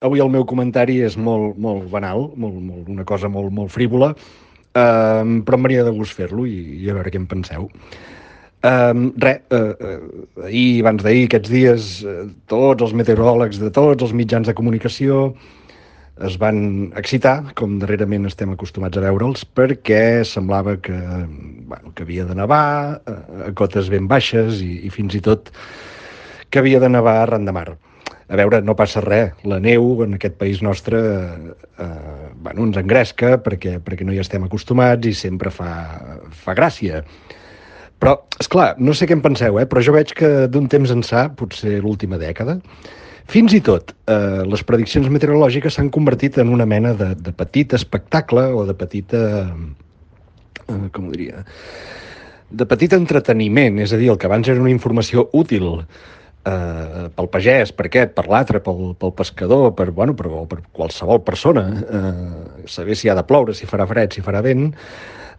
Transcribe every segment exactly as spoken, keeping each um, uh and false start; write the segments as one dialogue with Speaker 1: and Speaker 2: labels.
Speaker 1: avui el meu comentari és molt, molt banal, molt, molt, una cosa molt, molt frívola, eh, però em venia de gust fer-lo i, i a veure què en penseu. Um, res, uh, uh, ahir, abans d'ahir, aquests dies, uh, tots els meteoròlegs de tots els mitjans de comunicació es van excitar, com darrerament estem acostumats a veure'ls, perquè semblava que, bueno, que havia de nevar uh, a cotes ben baixes i, i fins i tot que havia de nevar arran de mar. A veure, no passa res. La neu en aquest país nostre eh, bueno, ens engresca perquè, perquè no hi estem acostumats i sempre fa, fa gràcia. Però, esclar, no sé què en penseu, eh? Però jo veig que d'un temps ençà, potser l'última dècada, fins i tot eh, les prediccions meteorològiques s'han convertit en una mena de, de petit espectacle o de petita... Eh, com ho diria? De petit entreteniment, és a dir, el que abans era una informació útil eh, pel pagès, per aquest, per l'altre, pel, pel pescador, per, bueno, per, per qualsevol persona, eh, saber si ha de ploure, si farà fred, si farà vent,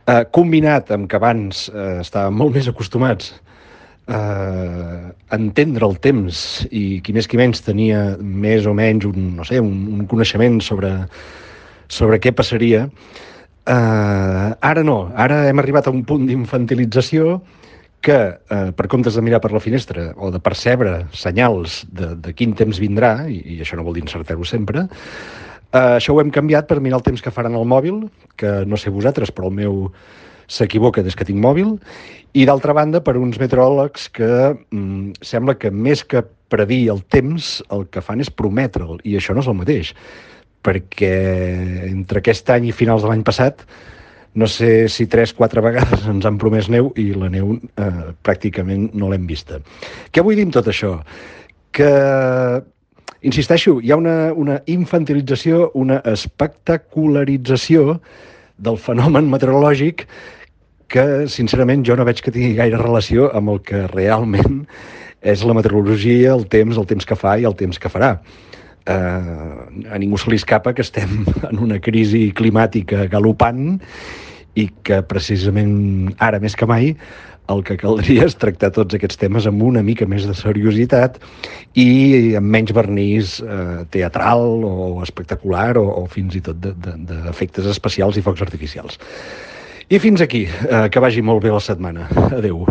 Speaker 1: eh, combinat amb que abans eh, estàvem molt més acostumats eh, a entendre el temps i qui més qui menys tenia més o menys un, no sé, un, un coneixement sobre, sobre què passaria. Uh, ara no, ara hem arribat a un punt d'infantilització que, uh, per comptes de mirar per la finestra o de percebre senyals de, de quin temps vindrà, i, i això no vol dir encertar-ho sempre, uh, això ho hem canviat per mirar el temps que faran al mòbil, que no sé vosaltres, però el meu s'equivoca des que tinc mòbil, i d'altra banda per uns meteoròlegs que mm, sembla que més que predir el temps, el que fan és prometre'l, i això no és el mateix, perquè entre aquest any i finals de l'any passat no sé si tres, quatre vegades ens han promès neu i la neu eh, pràcticament no l'hem vista. Què vull dir amb tot això? Que, insisteixo, hi ha una, una infantilització, una espectacularització del fenomen meteorològic que, sincerament, jo no veig que tingui gaire relació amb el que realment és la meteorologia, el temps, el temps que fa i el temps que farà. Uh, a ningú se li escapa que estem en una crisi climàtica galopant i que precisament ara més que mai el que caldria és tractar tots aquests temes amb una mica més de seriositat i amb menys vernís uh, teatral o espectacular o, o fins i tot d'efectes especials i focs artificials. I fins aquí, uh, que vagi molt bé la setmana. Adeu.